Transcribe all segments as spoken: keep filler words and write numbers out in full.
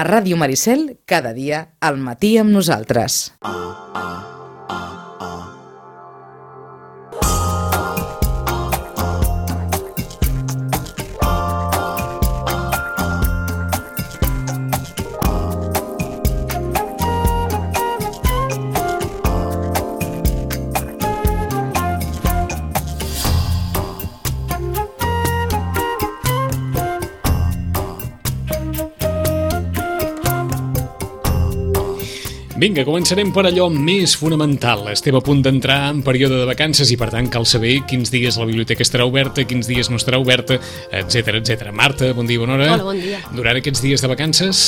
A Ràdio Maricel, cada dia, al matí amb nosaltres. Vinga, començarem per allò més fonamental. Estem a punt d'entrar en període de vacances i, per tant, cal saber quins dies la biblioteca estarà oberta, quins dies no estarà oberta, etcètera, etcètera. Marta, bon dia, bona hora. Hola, bon dia. Durant aquests dies de vacances,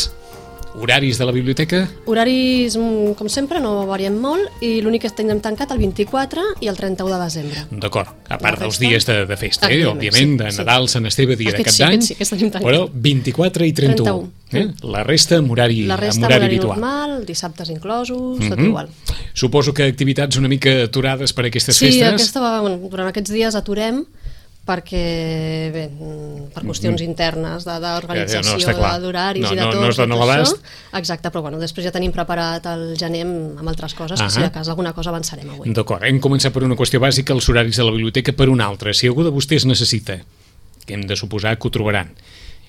horaris de la biblioteca? Horaris, com sempre, no variem molt i l'únic que tenim tancat el vint-i-quatre i el trenta-u de desembre. D'acord, a part dels dies de, de festa, eh? Evidentment, òbviament, sí, de sí. Nadal, Sant Esteve, dia Aquest de Cap sí, d'Any, aquest sí, aquest tenim tancat. però vint-i-quatre i trenta-u. trenta-u. Eh? La resta amb horari, La resta amb amb horari horari habitual. normal, dissabtes inclosos, tot Mhm. igual. Suposo que activitats una mica aturades per aquestes Sí, festes. aquesta, va- bueno, durant aquests dies aturem perquè, bé, per qüestions internes de- d'organització, No, està clar. d'horaris No, i de no, tot, no es dona tot l'abast. això. Exacte, però bueno, després ja tenim preparat el gener amb, amb altres coses, que si Ahà. de cas alguna cosa avançarem avui. D'acord, hem començat per una qüestió bàsica, els horaris de la biblioteca, per una altra. Si algú de vostès necessita, que hem de suposar que ho trobaran,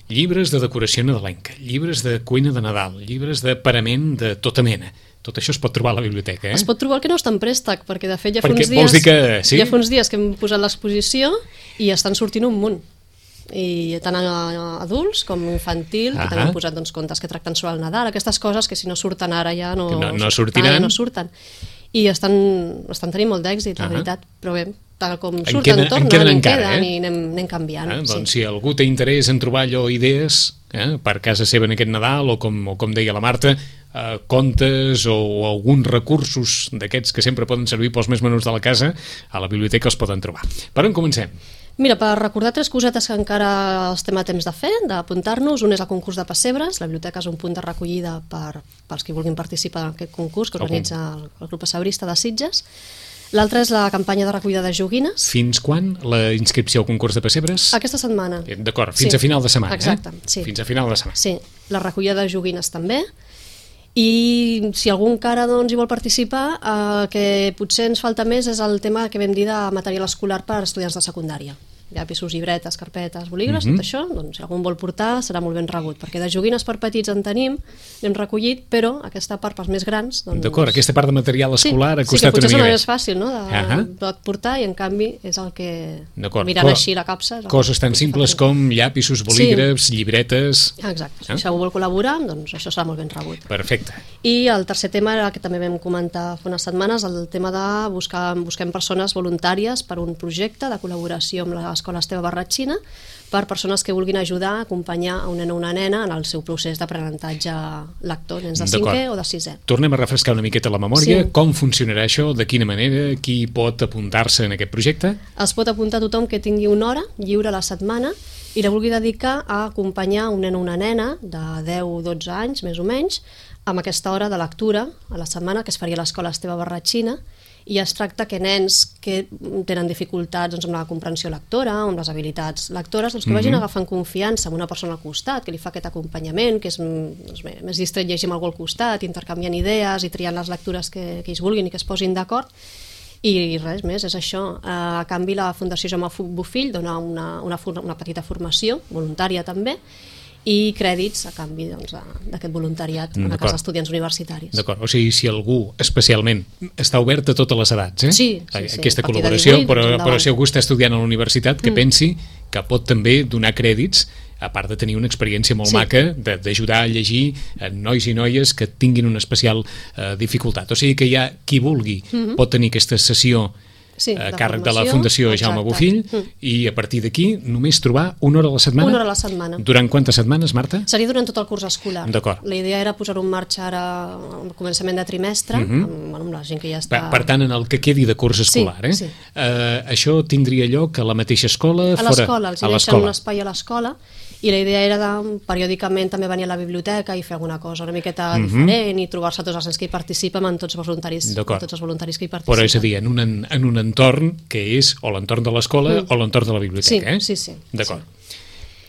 llibres de decoració nadalenca, llibres de cuina de Nadal, llibres de parament de tota mena, tot això es pot trobar a la biblioteca, eh? Es pot trobar el que no està en préstec, perquè de fet ja fa Perquè uns dies, vols dir que sí? ja fa uns dies que hem posat l'exposició i estan sortint un munt. I tant a adults com infantil, que Ahà. també hem posat doncs, contes que tracten sobre el Nadal, aquestes coses que si no surten ara ja no, Que no- no ah, sortiran. ja no surten. I estan, estan tenint molt d'èxit, la Ahà. veritat, però bé, tal com En surten, queden- en tornen, queden i en encara, queden, eh? i anem, anem canviant. Eh? Doncs sí. si algú té interès en trobar allò idees eh? per casa seva en aquest Nadal o com, o com deia la Marta, eh, contes o, o alguns recursos d'aquests que sempre poden servir pels més menuts de la casa, a la biblioteca els poden trobar. Per on comencem? Mira, per recordar tres cosetes que encara estem a temps de fer, d'apuntar-nos, un és el concurs de pessebres, la biblioteca és un punt de recollida per, pels que vulguin participar en aquest concurs que El organitza el, el grup pessebrista de Sitges. L'altre és la campanya de recollida de joguines. Fins quan la inscripció al concurs de pessebres? Aquesta setmana. Eh, D'acord, fins Sí. a final de setmana. Exacte, eh? sí. Fins a final de setmana. Sí, la recollida de joguines també. I si algú encara doncs, hi vol participar, eh, el que potser ens falta més és el tema que vam dir de material escolar per a estudiants de secundària. Llapisos, llibretes, carpetes, bolígrafs, Mhm. tot això, doncs, si algú en vol portar serà molt ben rebut, perquè de joguines per petits en tenim, n'hem recollit, però aquesta part pels més grans... Doncs, D'acord, aquesta part de material escolar ha sí, costat sí, que una potser mica és més. més fàcil, no?, de, Ahà. de portar, i en canvi és el que, D'acord. mirant Co- així la capsa... és el Coses que tan potser simples fa- com llapisos, bolígrafs, llibretes... Exacte, Eh? si algú vol col·laborar, doncs això serà molt ben rebut. Perfecte. I el tercer tema era el que també vam comentar fa unes setmanes, el tema de buscar busquem persones voluntàries per un projecte de col·laboració amb l'Escola Esteve Barratxina per persones que vulguin ajudar a acompanyar a un nen o una nena en el seu procés d'aprenentatge lector, nens de D'acord. cinquè o de sisè. Tornem a refrescar una miqueta la memòria. Sí. Com funcionarà això? De quina manera? Qui pot apuntar-se en aquest projecte? Es pot apuntar tothom que tingui una hora lliure a la setmana i la vulgui dedicar a acompanyar un nen o una nena de deu o dotze anys, més o menys, amb aquesta hora de lectura a la setmana que es faria a l'Escola Esteve Barratxina, i es tracta que nens que tenen dificultats doncs, amb la comprensió lectora, amb les habilitats lectores, doncs, que vagin Mhm. agafant confiança amb una persona al costat, que li fa aquest acompanyament, que és doncs, bé, més distret llegir amb algú al costat, intercanviant idees i triant les lectures que, que ells vulguin i que es posin d'acord. I res més, és això. A canvi, la Fundació Jaume Bofill dona una, una, for- una petita formació, voluntària també, i crèdits a canvi doncs, de- d'aquest voluntariat en el D'acord. cas d'estudiants universitaris. D'acord, o sigui, si algú especialment està obert a totes les edats, eh? Sí, sí, sí. Aquesta A partir de col·laboració, divuit, però, doncs, però endavant. si algú està estudiant a la universitat, que Mm. pensi que pot també donar crèdits, a part de tenir una experiència molt Sí. maca de- d'ajudar a llegir a nois i noies que tinguin una especial eh, dificultat. O sigui que ja qui vulgui Mhm. pot tenir aquesta sessió Sí, a de càrrec de la formació, Fundació Jaume exacte. Bofill, Mm. i a partir d'aquí només trobar una hora a la setmana? Una hora a la setmana. Durant quantes setmanes, Marta? Seria durant tot el curs escolar. D'acord. La idea era posar-ho en marxa ara al començament de trimestre, Mhm. amb, amb la gent que ja Per, està... per tant, en el que quedi de curs escolar, eh? sí. Eh, això tindria lloc a la mateixa escola? A fora- l'escola, els a hi deixen l'escola. un espai a l'escola, i la idea era de, periòdicament també venir a la biblioteca i fer alguna cosa una miqueta Mhm. diferent i trobar-se tots els nens que hi participen amb tots els voluntaris, D'acord. amb tots els voluntaris que hi participen. Però és a dir, en un, en, en un entorn que és o l'entorn de l'escola Mm. o l'entorn de la biblioteca, Sí, eh? sí, sí. D'acord.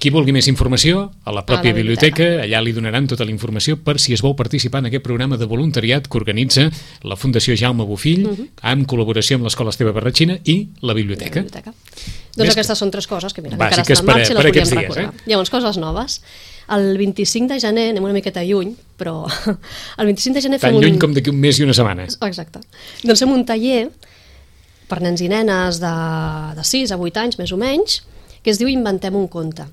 Qui vulgui més informació, a la pròpia A la biblioteca. biblioteca, allà li donaran tota la informació per si es vol participar en aquest programa de voluntariat que organitza la Fundació Jaume Bofill, uh -huh. amb col·laboració amb l'Escola Esteve Barratxina i la biblioteca. La biblioteca. Doncs Més aquestes són tres coses que, mira, bàsiques encara estan en per a- marxa i per les aquests volíem dies, recordar. eh? Llavors, coses noves. El vint-i-cinc de gener, anem una miqueta lluny, però el vint-i-cinc de gener Tan fem un... lluny com d'aquí un mes i una setmana. Exacte. Doncs fem un taller per nens i nenes de, de sis a vuit anys, més o menys, que es diu Inventem un conte.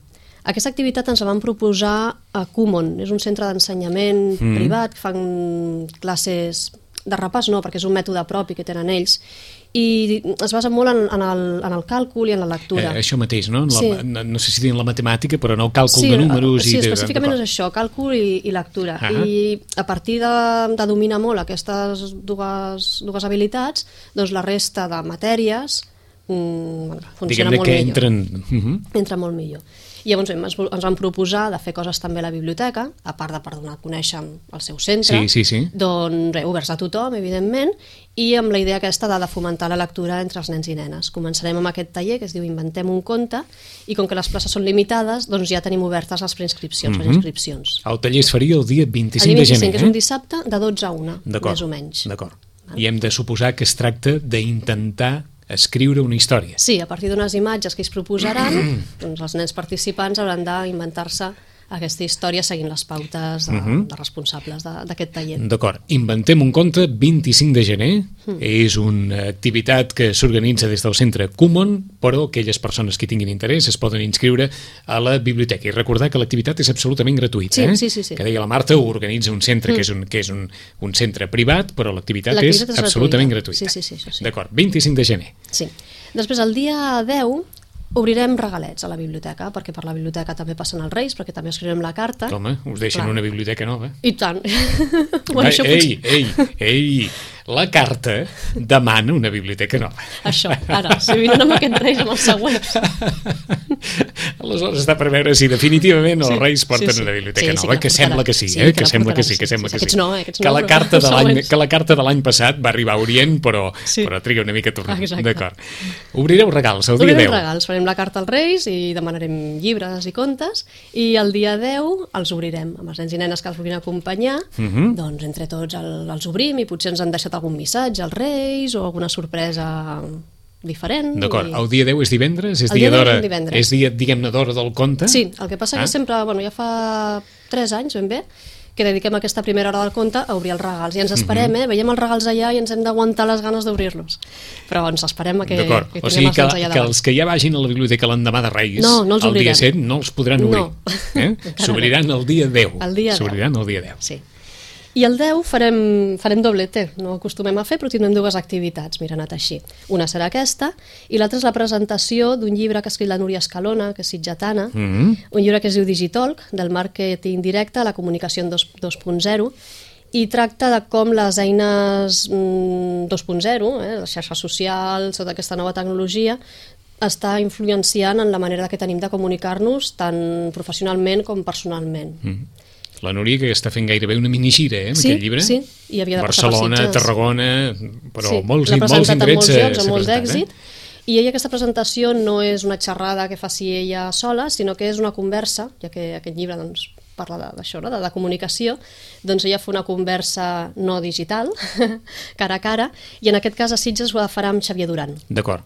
Aquesta activitat ens la van proposar a Kumon, és un centre d'ensenyament mm. privat que fan classes de repàs, no, perquè és un mètode propi que tenen ells, i es basa molt en, en, el, en el càlcul i en la lectura. Eh, això mateix, no? En la, Sí. no? No sé si dir en la matemàtica, però en el càlcul Sí, de números. sí, i de, específicament de... és això, càlcul i, i lectura. Ah. I a partir de, de dominar molt aquestes dues, dues habilitats, doncs la resta de matèries mm, bueno, funciona Diguem-ne molt que millor. entren... Uh -huh. Entra molt millor. I llavors ens, ens van proposar de fer coses també a la biblioteca, a part de per donar a conèixer el seu centre, Sí, sí, sí. doncs res, oberts a tothom, evidentment, i amb la idea aquesta de, de fomentar la lectura entre els nens i nenes. Començarem amb aquest taller que es diu Inventem un conte, i com que les places són limitades, doncs ja tenim obertes les preinscripcions, Mhm. les inscripcions. El taller es faria el dia vint-i-cinc El dia de gener, vint-i-cinc és eh? un dissabte de dotze a una, D'acord, més o menys. D'acord. I hem de suposar que es tracta d'intentar escriure una història. Sí, a partir d'unes imatges que ells proposaran, doncs els nens participants hauran d'inventar-se aquesta història seguint les pautes de, Mhm. de responsables de- d'aquest taller. D'acord. Inventem un conte, vint-i-cinc de gener. Mm. És una activitat que s'organitza des del centre Kumon, però aquelles persones que tinguin interès es poden inscriure a la biblioteca. I recordar que l'activitat és absolutament gratuïta. Sí, eh? sí, sí, sí. Que deia la Marta, ho organitza un centre Mm. que és un, que és un, un centre privat, però l'activitat és, L'activitat és absolutament gratuïta. gratuïta. Sí, sí, sí, això sí. D'acord. vint-i-cinc de gener. Sí. Després, el dia deu, obrirem regalets a la biblioteca, perquè per la biblioteca també passen els Reis, perquè també escriurem la carta. Home, us deixen Clar. una biblioteca nova. I tant. bueno, Ai, això ei, potser... ei, ei, la carta demana una biblioteca nova. Això, ara, si vinen amb aquests Reis, amb els següents. Aleshores està per veure si definitivament els Sí, Reis porten sí, sí. una biblioteca Sí, sí, nova, que la que sembla portaran. que sí, Sí, eh? que que la sembla que portaran, sí, que sí, sembla sí, que sí. sí. Aquests no, eh? Aquests que no, la però carta els de l'any següents. que la carta de l'any passat va arribar a Orient, però, Sí. però triga una mica a tornar. Exacte. D'acord. Obrireu regals el dia Obrirem deu. regals, farem la carta als Reis i demanarem llibres i contes, i el dia deu els obrirem amb els nens i nenes que els vulguin acompanyar. Mhm. Doncs entre tots el, els obrim i potser ens han deixat algun missatge als Reis o alguna sorpresa diferent. D'acord. i- El dia deu és divendres? És El dia dia deu és d'hora? un divendres. És dia, diguem-ne, d'hora del conte? Sí, el que passa Ah. que sempre, bueno, ja fa tres anys ben bé, que dediquem aquesta primera hora del conte a obrir els regals. I ens esperem, eh? Veiem els regals allà i ens hem d'aguantar les ganes d'obrir-los. Però ens esperem a que, D'acord. que O tinguem sigui els que, nens allà que davant. els que ja vagin a la biblioteca l'endemà de Reis, No, no els el dia obrirem. set no els podran obrir. No. Eh? Encara S'obriran el dia deu. El dia deu. S'obriran el dia deu. Sí. I el deu farem, farem doblete, no ho acostumem a fer, però tindrem dues activitats, mira, ha anat així. Una serà aquesta, i l'altra és la presentació d'un llibre que ha escrit la Núria Escalona, que és sitgetana, Mhm. un llibre que es diu Digitalk, del màrqueting directe a la comunicació en dos punt zero, i tracta de com les eines mm, dos punt zero, eh, les xarxes socials, tota aquesta nova tecnologia, està influenciant en la manera que tenim de comunicar-nos tant professionalment com personalment. Mhm. La Núria, que està fent gairebé una minigira, eh, amb Sí, aquest llibre. sí, i havia de passar per Barcelona, Sitges. Tarragona, però Sí, molts, l'ha molts presentat en indrets molts s'ha- llocs, s'ha amb molt presentat, d'èxit, eh? i ella aquesta presentació no és una xerrada que faci ella sola, sinó que és una conversa, ja que aquest llibre doncs, parla de- d'això, no? de, de comunicació, doncs ella fa una conversa no digital, cara a cara, i en aquest cas a Sitges ho farà amb Xavier Duran. D'acord.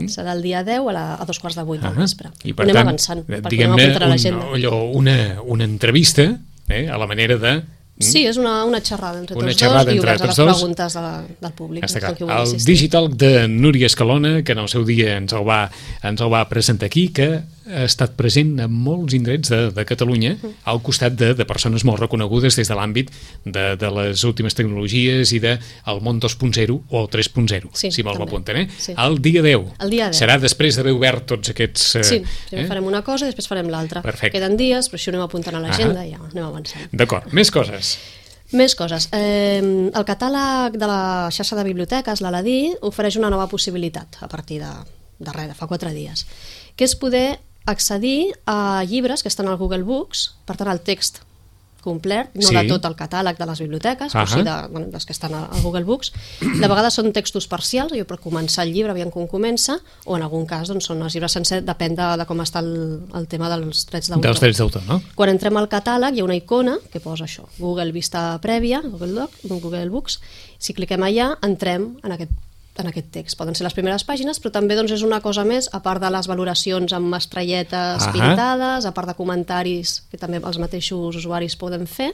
Serà el dia deu a, la, a dos quarts de vuit del Ah, vespre. I per Anem tant, avançant, perquè anem diguem-ne, apuntant a un, l'agenda. allò, una, una entrevista eh, a la manera de... Sí, és una, una xerrada entre Una tots xerrada dos i entre oberts a tots les dos. preguntes de la, del públic. Està del clar. que vulgui El assistir. Digital de Núria Escalona, que en el seu dia ens el va, ens el va presentar aquí, que ha estat present en molts indrets de, de Catalunya, al costat de, de persones molt reconegudes des de l'àmbit de, de les últimes tecnologies i del de món dos punt zero o tres punt zero, Sí, si me'l també. apunten. Eh? Sí. El dia deu. El dia deu. Serà després d'haver obert tots aquests... Eh, Sí, primer eh? farem una cosa i després farem l'altra. Perfecte. Queden dies, però això ho anem apuntant a l'agenda Ah. i ja anem avançant. D'acord, més coses. Més coses. Eh, el catàleg de la xarxa de biblioteques, l'Aladí, ofereix una nova possibilitat a partir de, de res, de fa quatre dies, que és poder accedir a llibres que estan al Google Books, per tant el text complet, no Sí. de tot el catàleg de les biblioteques, però Ahà. sí de, bueno, dels que estan al Google Books. De vegades són textos parcials, jo per començar el llibre, aviam com comença, o en algun cas doncs, són els llibres sencers, depèn de, de com està el, el tema dels drets d'autor. Dels drets d'autor, no? Quan entrem al catàleg hi ha una icona que posa això, Google Vista Prèvia, Google Doc, Google Books. Si cliquem allà, entrem en aquest en aquest text. Poden ser les primeres pàgines, però també doncs, és una cosa més, a part de les valoracions amb estrelletes Ahà. pintades, a part de comentaris que també els mateixos usuaris poden fer,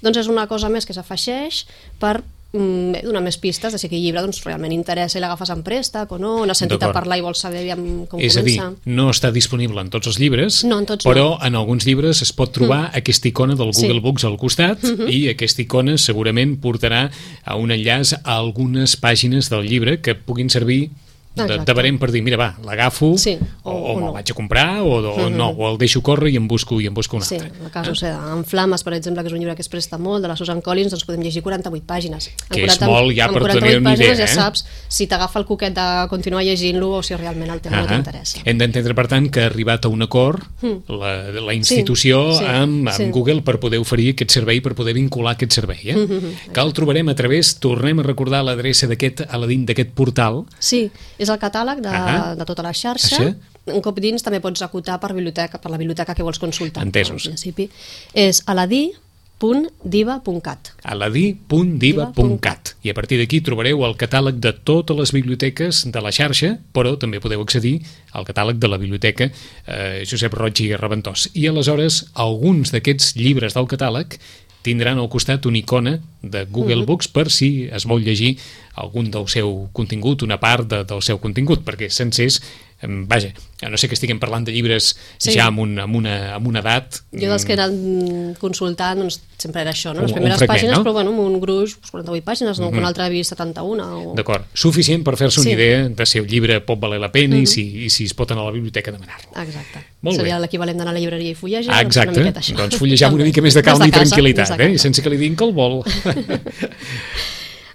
doncs és una cosa més que s'afegeix per mm, donar més pistes de si aquell llibre doncs, realment interessa i l'agafes en préstec o no, o n'has sentit a D'acord. parlar i vols saber aviam com És a dir, comença. no està disponible en tots els llibres, No, en tots però en alguns llibres es pot trobar mm. aquesta icona del Google Sí. Books al costat Mhm. i aquesta icona segurament portarà a un enllaç a algunes pàgines del llibre que puguin servir de, Exacte. de barem per dir, mira, va, l'agafo Sí, o, o- o, o me'l no. vaig a comprar o, o Mhm. no, o el deixo córrer i en busco, i en busco un Sí, altre. en el cas, o sigui, en Flames, per exemple, que és un llibre que es presta molt, de la Susan Collins, doncs podem llegir quaranta-vuit pàgines. En Que és quaranta molt ja en per quaranta-vuit tenir una pàgines idea, ja eh? saps si t'agafa el coquet de continuar llegint-lo o si realment el tema no Ahà. t'interessa. Hem d'entendre, per tant, que ha arribat a un acord Mm. la, la institució Sí, sí, amb, amb sí. Google per poder oferir aquest servei, per poder vincular aquest servei. Eh? Mhm, Que el trobarem a través, tornem a recordar l'adreça d'aquest Aladín, d'aquest portal. Sí, és el catàleg de, Ahà. de tota la xarxa. Això. Un cop dins també pots acotar per biblioteca, per la biblioteca que vols consultar. Entesos. En principi és aladí punt diva punt cat. aladí punt diva punt cat. I a partir d'aquí trobareu el catàleg de totes les biblioteques de la xarxa, però també podeu accedir al catàleg de la biblioteca eh, Josep Roig i Reventós. I aleshores alguns d'aquests llibres del catàleg tindran al costat una icona de Google Mhm. Books per si es vol llegir algun del seu contingut, una part de, del seu contingut, perquè sencers, em, vaja, a no sé que estiguem parlant de llibres Sí. ja amb, un, amb, una, amb una edat... Jo dels que he anat consultant doncs, sempre era això, no? Un- les un primeres fragment, pàgines, no? però bueno, amb un gruix, doncs, quaranta-vuit pàgines, no? Mhm. que un altre havia vist setanta-una. O... D'acord, suficient per fer-se una Sí. idea de si el llibre pot valer la pena Mhm. i, si, i si es pot anar a la biblioteca a demanar-lo. Exacte. Molt Seria bé. l'equivalent d'anar a la llibreria i fullejar. Ah, exacte, doncs, una miqueta això. doncs fullejar amb una També. mica més de calma Des i casa, tranquil·litat, des de eh? I casa. sense que li diguin que el vol.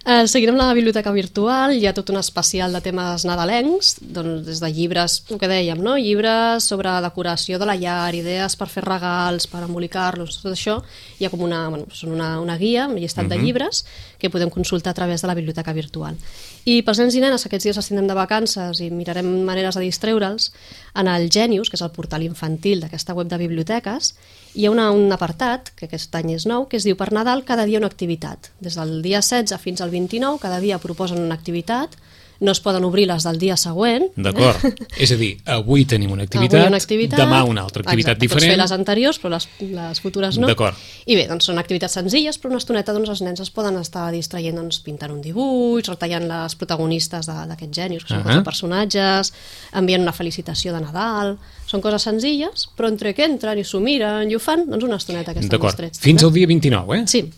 Eh, seguirem la biblioteca virtual, hi ha tot un especial de temes nadalencs, doncs des de llibres, el que dèiem, no? Llibres sobre decoració de la llar, idees per fer regals, per embolicar-los, tot això, hi ha com una, bueno, són una, una guia, un llistat Mhm. de llibres que podem consultar a través de la biblioteca virtual. I pels nens i nenes, aquests dies els tindrem de vacances i mirarem maneres de distreure'ls, en el Genius, que és el portal infantil d'aquesta web de biblioteques, hi ha una, un apartat, que aquest any és nou, que es diu per Nadal cada dia una activitat. Des del dia setze fins al vint-i-nou, cada dia proposen una activitat, no es poden obrir les del dia següent. D'acord, és a dir, avui tenim una activitat, Avui una activitat, demà una altra activitat exacte, diferent. Pots fer les anteriors, però les, les futures no. D'acord. I bé, doncs són activitats senzilles, però una estoneta doncs, els nens es poden estar distraient doncs, pintant un dibuix, retallant les protagonistes de- d'aquests genius, que són Ahà. quatre personatges, enviant una felicitació de Nadal. Són coses senzilles, però entre que entren i s'ho miren i ho fan, doncs una estoneta que estan D'acord, distrets. fins també. al dia vint-i-nou, eh? Sí.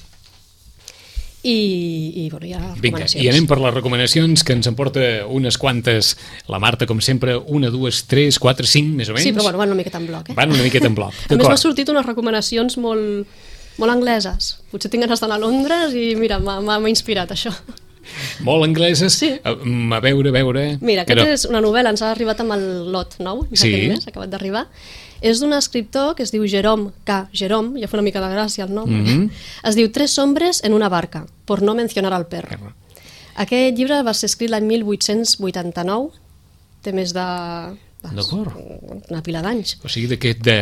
I, i bueno, hi ha Vinga, recomanacions. i anem per les recomanacions, que ens en porta unes quantes, la Marta, com sempre, una, dues, tres, quatre, cinc, més o menys. Sí, però bueno, van una miqueta en bloc, eh? Van una miqueta en bloc. A més m'ha D'acord. sortit unes recomanacions molt, molt angleses. Potser tinc ganes d'anar a Londres i mira, m'ha m'ha- m'ha inspirat això. Molt angleses. Sí. A, a veure, a veure... Mira, Però- aquesta és una novel·la, ens ha arribat amb el lot nou, Sí. aquest mes, ha acabat d'arribar. És d'un escriptor que es diu Jerome K. Jerome, ja fa una mica de gràcia el nom. Mhm. Es diu Tres hombres en una barca, por no mencionar al perro. Aquest llibre va ser escrit l'any mil vuit-cents vuitanta-nou, té més de... de- D'acord. una pila d'anys. O sigui, d'aquest de...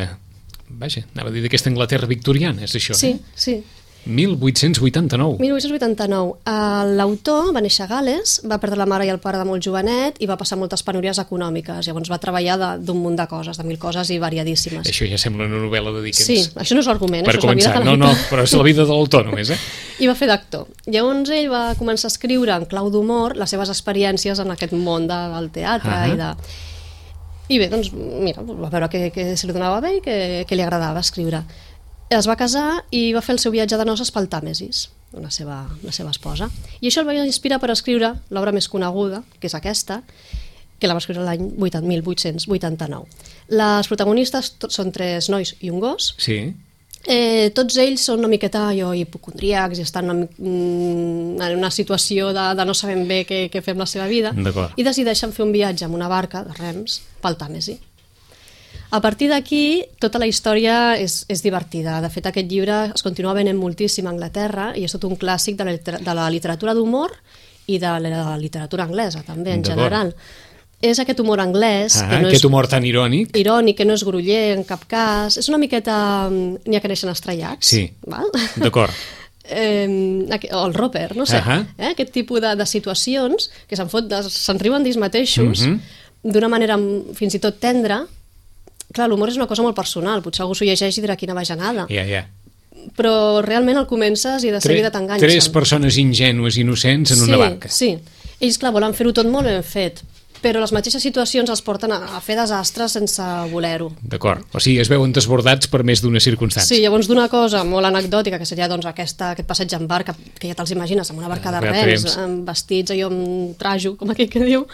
Vaja, anava a dir d'aquesta Anglaterra victoriana, és això, Sí, eh? sí. mil vuit-cents vuitanta-nou. mil vuit-cents vuitanta-nou. Eh, L'autor va néixer a Gal·les, va perdre la mare i el pare de molt jovenet i va passar moltes penúries econòmiques. Llavors va treballar de- d'un munt de coses, de mil coses i variadíssimes. Això ja sembla una novel·la de Dickens. Sí, això no és l'argument, Per això és la vida començar, de no, no, l'autor. però és la vida de l'autor només, eh? I va fer d'actor. Llavors ell va començar a escriure en clau d'humor les seves experiències en aquest món de, del teatre Ahà. i de... I bé, doncs, mira, va veure que, que se li donava bé i que, que li agradava escriure. Es va casar i va fer el seu viatge de noces pel Tàmesis, la seva, la seva esposa. I això el va inspirar per escriure l'obra més coneguda, que és aquesta, que la va escriure l'any mil vuit-cents vuitanta-nou. Les protagonistes tot, són tres nois i un gos. Sí. Eh, tots ells són una miqueta allò, hipocondríacs i estan una, mm, en una situació de, de no sabem bé què, què fer amb la seva vida D'acord. i decideixen fer un viatge amb una barca de rems pel Tàmesi. A partir d'aquí, tota la història és, és divertida. De fet, aquest llibre es continua venent moltíssim a Anglaterra i és tot un clàssic de la, de la literatura d'humor i de la literatura anglesa, també, en general. És aquest humor anglès... Ah, que no aquest és humor tan irònic. Irònic, que no és groller en cap cas. És una miqueta... N'hi ha que neixen estrellats. Sí, val? d'acord. Eh, o el Roper, no sé. Uh-huh. eh? Aquest tipus de, de situacions que se'n fot, se'n riuen d'ells mateixos, uh-huh. d'una manera fins i tot tendra. Clar, l'humor és una cosa molt personal. Potser algú s'ho llegeix i dirà quina bajanada. Ja, ja. Però realment el comences i de seguida t'enganxen. Tres persones ingènues, innocents en sí, una barca. Sí, ells, clar, volen fer-ho tot molt ben fet, però les mateixes situacions els porten a, a fer desastres sense voler-ho. D'acord, o sigui, es veuen desbordats per més d'una circumstància. Sí, llavors d'una cosa molt anecdòtica, que seria doncs, aquesta, aquest passeig en barca, que ja te'ls imagines, amb una barca de rems, amb vestits allò amb trajo, com aquell que diu,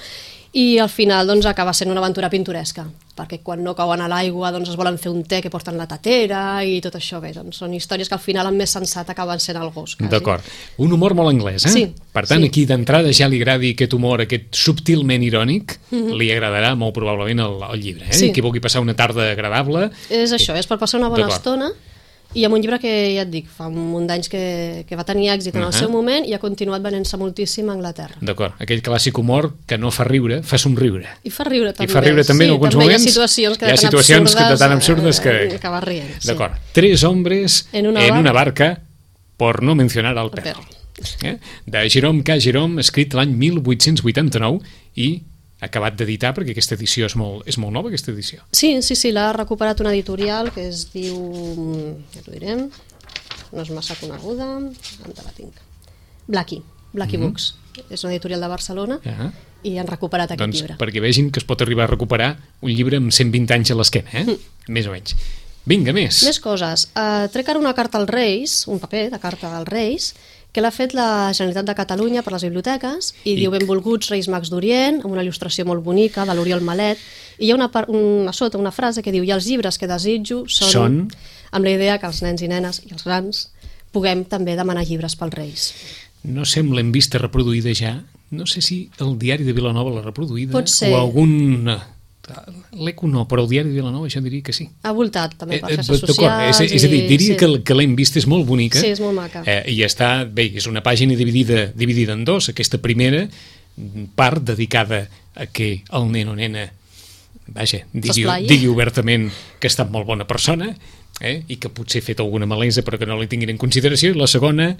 i al final doncs, acaba sent una aventura pintoresca, perquè quan no cauen a l'aigua doncs, es volen fer un te que porten la tatera i tot això. Bé, doncs, són històries que al final el més sensat acaben sent el gos. Quasi. D'acord. Un humor molt anglès, eh? Sí. Per tant, sí. aquí d'entrada ja li agradi aquest humor, aquest subtilment irònic, mm-hmm. li agradarà molt probablement el, el llibre. Eh? Sí. Qui vulgui passar una tarda agradable... És això, és per passar una bona estona. I amb un llibre que, ja et dic, fa un munt d'anys que, que va tenir èxit en el uh-huh. seu moment i ha continuat venent-se moltíssim a Anglaterra. D'acord, aquell clàssic humor que no fa riure, fa somriure. I fa riure també. I fa riure també sí, en alguns també moments. Hi ha situacions que hi ha tan situacions absurdes, que tan absurdes que... Eh, que vas rient. Sí. D'acord. Tres hombres en una, en una barca, por no mencionar al perro. perro. Eh? De Jerome K. Jerome, escrit l'any mil vuit-cents vuitanta-nou i acabat d'editar, perquè aquesta edició és molt, és molt nova, aquesta edició. Sí, sí, sí, l'ha recuperat una editorial que es diu... ja t'ho direm... no és massa coneguda, on la tinc? Blackie, Blackie mm-hmm. Books. És una editorial de Barcelona uh-huh. i han recuperat aquest doncs, llibre. Perquè vegin que es pot arribar a recuperar un llibre amb cent vint anys a l'esquena, eh? Mm. Més o menys. Vinga, més. Més coses. Uh, trec ara una carta als Reis, un paper de carta als Reis, que l'ha fet la Generalitat de Catalunya per les biblioteques i, I diu benvolguts Reis Mags d'Orient, amb una il·lustració molt bonica de l'Oriol Malet, i hi ha una, una sota una frase que diu i els llibres que desitjo són... són... amb la idea que els nens i nenes i els grans puguem també demanar llibres pels Reis. No sé, l'hem vista reproduïda ja. No sé si el diari de Vilanova l'ha reproduïda. Pot ser. O algun... L'Eco no, però el diari de Vilanova jo diria que sí. Ha voltat també per eh, xarxes socials. És, és a dir, diria i... que, que l'hem vista és molt bonica. Sí, és molt maca. Eh, I està, bé, és una pàgina dividida, dividida en dos. Aquesta primera part dedicada a que el nen o nena vaja, digui, digui obertament que ha estat molt bona persona, eh? I que potser ha fet alguna malesa però que no la tinguin en consideració, i la segona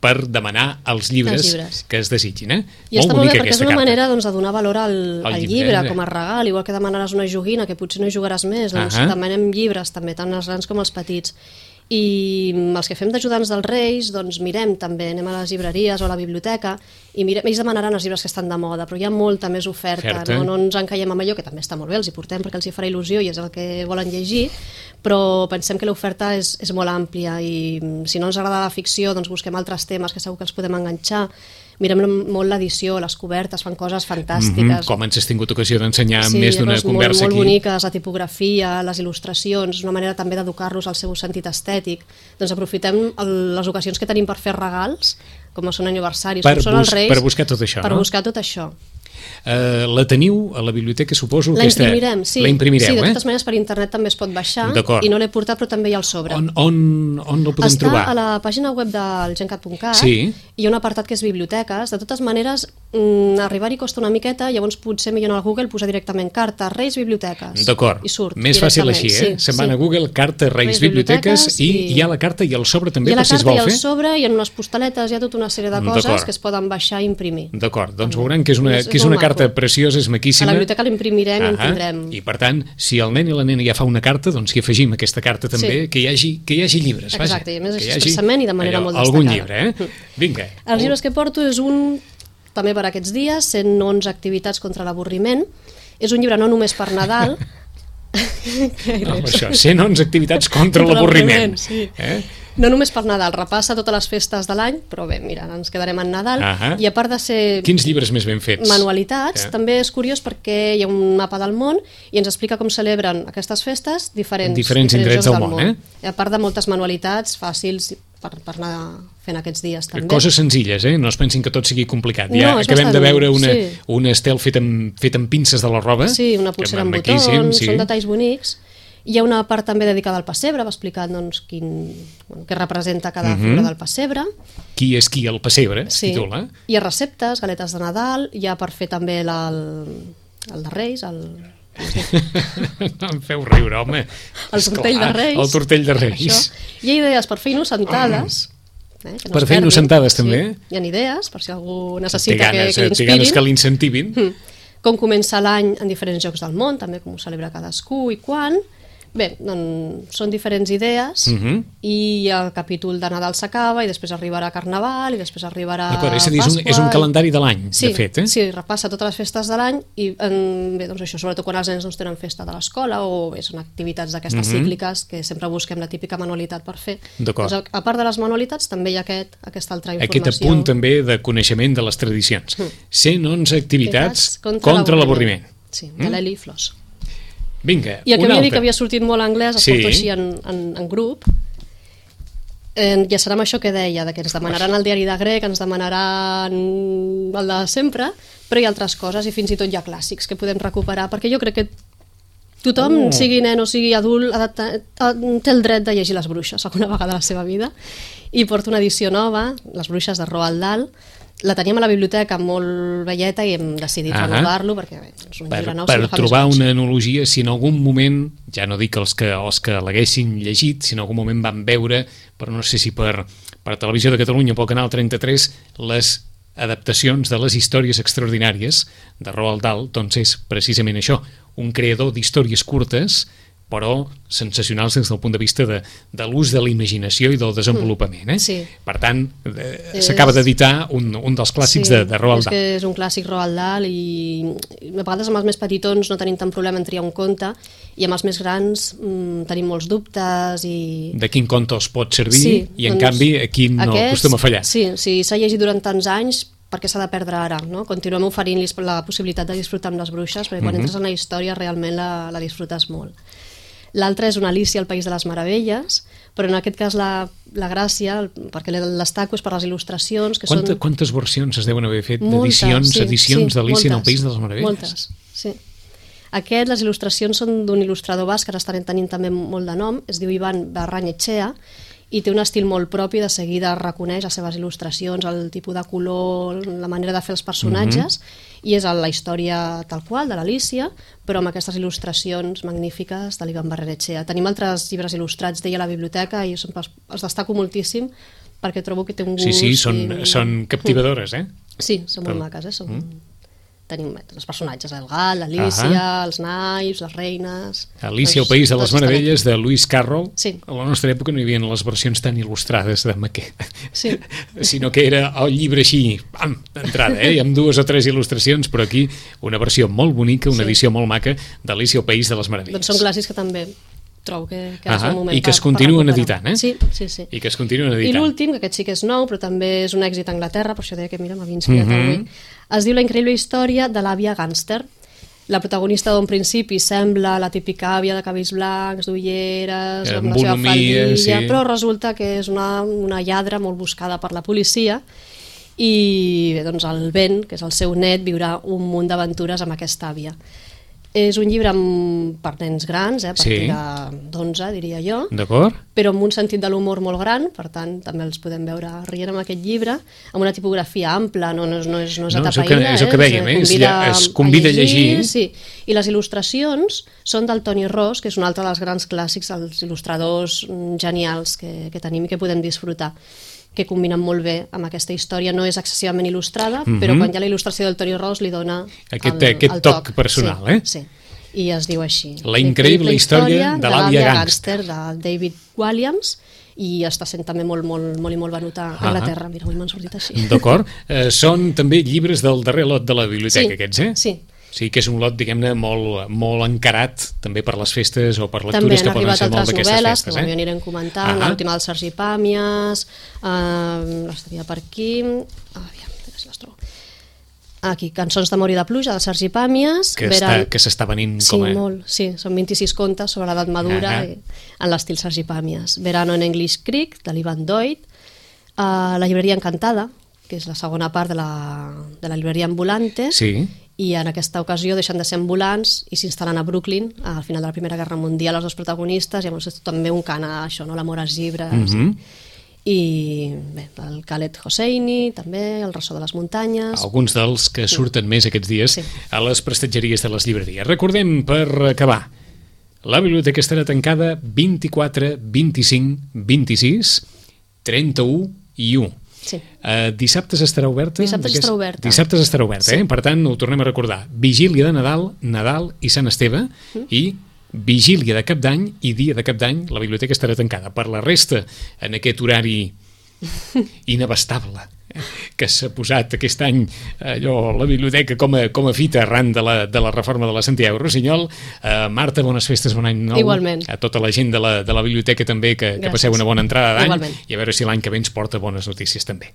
per demanar els llibres, els llibres. que es desitgin. Eh? I molt està molt bé perquè és una carta. manera doncs, de donar valor al, al llibre, llibre com a regal, igual que demanaràs una joguina que potser no hi jugaràs més, doncs uh-huh. demanem llibres també, tant els grans com els petits. I els que fem d'ajudants dels Reis doncs mirem també, anem a les llibreries o a la biblioteca i mirem, ells demanaran els llibres que estan de moda, però hi ha molta més oferta, no? no ens encaiem amb allò, que també està molt bé, els hi portem perquè els hi farà il·lusió i és el que volen llegir, però pensem que l'oferta és, és molt àmplia i si no ens agrada la ficció doncs busquem altres temes que segur que els podem enganxar. Mirem molt l'edició, les cobertes, fan coses fantàstiques. Mm-hmm. Com ens has tingut ocasió d'ensenyar sí, més d'una conversa molt, aquí. Molt boniques, la tipografia, les il·lustracions, una manera també d'educar-los al seu sentit estètic. Doncs aprofitem el, les ocasions que tenim per fer regals, com són aniversaris, per com són els Reis. Per buscar tot això, per no? Per buscar tot això. Uh, la teniu a la biblioteca, suposo? La aquesta... imprimirem, sí. La imprimireu, sí, de totes eh? maneres per internet també es pot baixar i no l'he portat però també hi ha el sobre. On, on, on el podem Està trobar? Està a la pàgina web del gencat punt cat sí. Hi ha un apartat que és biblioteques. De totes maneres, mm, arribar-hi costa una miqueta, llavors potser millor al Google posar directament carta Reis Biblioteques. D'acord, i surt més fàcil així, eh? Sí, Se'n van sí. a Google, carta Reis, Reis Biblioteques, Biblioteques i, i hi ha la carta i el sobre també per si es vol fer. Hi ha la carta i el sobre, hi ha unes postaletes, hi ha tota una sèrie de coses que es poden baixar i imprimir. D'acord, doncs veuran que és una, que és una carta preciosa, és maquíssima. A la biblioteca l'imprimirem i en tindrem. I per tant, si el nen i la nena ja fa una carta, doncs hi afegim aquesta carta també, sí. que, hi hagi, que hi hagi llibres. Exacte, vaja, i a més que expressament i de manera allò, molt destacada. Algun llibre, eh? Vinga. Els llibres que porto és un, també per aquests dies, cent onze activitats contra l'avorriment. És un llibre no només per Nadal. no, això, cent onze activitats contra l'avorriment. Sí. Eh? No només per Nadal, repassa totes les festes de l'any, però bé, mira, ens quedarem en Nadal. Uh-huh. I a part de ser... Quins llibres més ben fets? Manualitats, yeah. també és curiós perquè hi ha un mapa del món i ens explica com celebren aquestes festes diferents, diferents, diferents indrets del món. món. Eh? A part de moltes manualitats fàcils per, per anar fent aquests dies també. Coses senzilles, eh? No es pensin que tot sigui complicat. No, ja acabem bastant, de veure una, sí. un estel fet amb, fet amb pinces de la roba. Sí, una pulsera amb botons, sí. Són detalls bonics. Hi ha una part també dedicada al pessebre, va explicar doncs, quin, bueno, què representa cada uh -huh. figura del pessebre. Qui és qui el pessebre, es sí. titula. Hi ha receptes, galetes de Nadal, hi ha per fer també el, el de Reis, el... No em feu riure, home. El tortell de Reis. El tortell de Reis. Això. Hi ha idees per fer innocentades. Eh, que no per fer innocentades, també. Sí. Hi ha idees, per si algú necessita ganes, que, que inspirin. Té ganes que l'incentivin. Mm. Com comença l'any en diferents llocs del món, també com ho celebra cadascú i quan. Bé, doncs són diferents idees uh -huh. i el capítol de Nadal s'acaba i després arribarà Carnaval i després arribarà Pasqua. És a dir, és un, és un calendari de l'any, sí, de fet. Eh? Sí, repassa totes les festes de l'any i en, bé, doncs això, sobretot quan els nens doncs, tenen festa de l'escola o bé, són activitats d'aquestes uh -huh. cícliques que sempre busquem la típica manualitat per fer. Doncs, a part de les manualitats també hi ha aquest, aquesta altra informació. Aquest apunt també de coneixement de les tradicions. Uh -huh. cent onze activitats contra, contra l'avorriment. Sí, de l'Eli Flors. Vinga, i el que una havia dit altra. que havia sortit molt anglès, el sí. porto així en, en, en grup. Eh, ja serà amb això que deia, de que ens demanaran el diari de grec, ens demanaran el de sempre, però hi ha altres coses i fins i tot hi ha clàssics que podem recuperar, perquè jo crec que tothom, oh. sigui nen o sigui adult, ha de, ha, té el dret de llegir Les Bruixes alguna vegada a la seva vida, i porto una edició nova, Les Bruixes de Roald Dahl. La teníem a la biblioteca molt velleta i hem decidit uh-huh. renovar-lo perquè bé, és un per, llibre nou. Per trobar una analogia, si en algun moment, ja no dic els que, els que l'haguessin llegit, si en algun moment van veure, però no sé si per, per Televisió de Catalunya, pel Canal trenta-tres, les adaptacions de les històries extraordinàries de Roald Dahl, doncs és precisament això, un creador d'històries curtes però sensacionals des del punt de vista de, de l'ús de la imaginació i del desenvolupament. Eh? Sí. Per tant, eh, s'acaba d'editar un, un dels clàssics sí, de, de Roald Dahl. És que és un clàssic Roald Dahl i a vegades amb els més petitons no tenim tant problema en triar un conte i amb els més grans mmm, tenim molts dubtes i... De quin conte els pot servir sí, i en doncs, canvi a quin no aquests, acostuma a fallar. Sí, si s'ha llegit durant tants anys, per què s'ha de perdre ara? No? Continuem oferint-los la possibilitat de disfrutar amb Les Bruixes perquè quan uh-huh. entres en la història realment la, la disfrutes molt. L'altra és una Alícia al País de les Meravelles, però en aquest cas la, la gràcia, perquè l'estaco és per les il·lustracions que Quanta, són... Quantes versions es deuen haver fet d'edicions sí, edicions sí, d'Alícia en el País de les Meravelles? Moltes, sí. Aquest, les il·lustracions són d'un il·lustrador basc que ara estan tenint també molt de nom, es diu Ivan Barranyetxea, i té un estil molt propi, de seguida reconeix les seves il·lustracions, el tipus de color, la manera de fer els personatges, uh-huh. i és la història tal qual de l'Alícia, però amb aquestes il·lustracions magnífiques de l'Ivan Barranyetxea. Tenim altres llibres il·lustrats d'ella a la biblioteca i jo sempre els destaco moltíssim perquè trobo que té un gust... Sí, sí, són, i... són captivadores, eh? Sí, són molt maques, eh? Són... Mm. Tenim els personatges, el gat, l'Alícia, els naips, les reines... Alícia, el País de les Meravelles, de Lewis Carroll. Sí. A la nostra època no hi havia les versions tan il·lustrades de Maquet, sí. sinó que era el llibre així, pam, d'entrada, eh? amb dues o tres il·lustracions, però aquí una versió molt bonica, una sí. edició molt maca d'Alícia, el País de les Meravelles. Doncs són clàssics que també trobo que, que ah, és el moment i que es per, continuen per editant, eh? Sí, sí, sí. I que es continuen editant. I l'últim, que aquest sí que és nou, però també és un èxit a Anglaterra, per això deia que mira, m'havia inspirat mm-hmm. avui, es diu La increïble història de l'àvia gàngster. La protagonista d'un principi sembla la típica àvia de cabells blancs, d'ulleres, amb la seva faldilla, sí. però resulta que és una, una lladra molt buscada per la policia i bé, doncs el Ben, que és el seu net, viurà un munt d'aventures amb aquesta àvia. És un llibre amb, per nens grans, eh, a partir sí. d'onze, diria jo, però amb un sentit de l'humor molt gran, per tant, també els podem veure rient amb aquest llibre, amb una tipografia ampla, no, no, no és, no és no, atapeïda, és el que dèiem, eh? es, es convida a llegir. A llegir sí. I les il·lustracions són del Toni Ros, que és un altre dels grans clàssics, els il·lustradors genials que, que tenim i que podem disfrutar, que combinen molt bé amb aquesta història. No és excessivament il·lustrada, mm-hmm. però quan hi ha la il·lustració del Toni Ros li dona aquest, el, aquest el toc, toc personal. Sí, eh? sí. I es diu així. La increïble història de l'àvia gàngster. de David Walliams, i està sent també molt, molt, molt i molt venut a Anglaterra. Mira, avui m'han sortit així. D'acord. Eh, són també llibres del darrer lot de la biblioteca, sí, aquests, eh? Sí. Sí, que és un lot, diguem-ne, molt, molt encarat també per les festes o per lectures que poden ser molt d'aquestes festes. També han arribat altres novel·les, eh? que anirem comentant, ah l'última del Sergi Pàmies, eh, l'estaria per aquí, ah, aviam, a veure si les trobo. Aquí, Cançons d'amor i de pluja, del Sergi Pàmies. Que Veran... s'està venint sí, com a... Sí, molt, sí, són vint-i-sis contes sobre l'edat madura, ah i, en l'estil Sergi Pàmies. Verano en English Creek, de l'Ivan Doig, Uh, la llibreria Encantada, que és la segona part de la, de la llibreria Ambulante, Sí. i en aquesta ocasió deixen de ser ambulants i s'instal·len a Brooklyn al final de la Primera Guerra Mundial els dos protagonistes, i llavors és també un cant a això, no? L'amor als llibres. Mhm. I bé, el Khaled Hosseini també, el ressò de les muntanyes. Alguns dels que surten més aquests dies Sí. a les prestatgeries de les llibreries. Recordem, per acabar, la biblioteca estarà tancada vint-i-quatre, vint-i-cinc, vint-i-sis, trenta-u i u. Sí. Uh, dissabtes estarà oberta? Dissabtes D'aquest- estarà oberta. Dissabtes estarà oberta, Sí. eh? Per tant, ho tornem a recordar. Vigília de Nadal, Nadal i Sant Esteve, Mm. i vigília de Cap d'Any i dia de Cap d'Any, la biblioteca estarà tancada. Per la resta, en aquest horari inabastable eh, que s'ha posat aquest any allò, la biblioteca com a, com a fita arran de la, de la reforma de la Santiago Rossinyol. Uh, Marta, bones festes, bon any nou. Igualment. A tota la gent de la, de la biblioteca també, que, que Gràcies. passeu una bona entrada d'any, Igualment. i a veure si l'any que ve ens porta bones notícies també.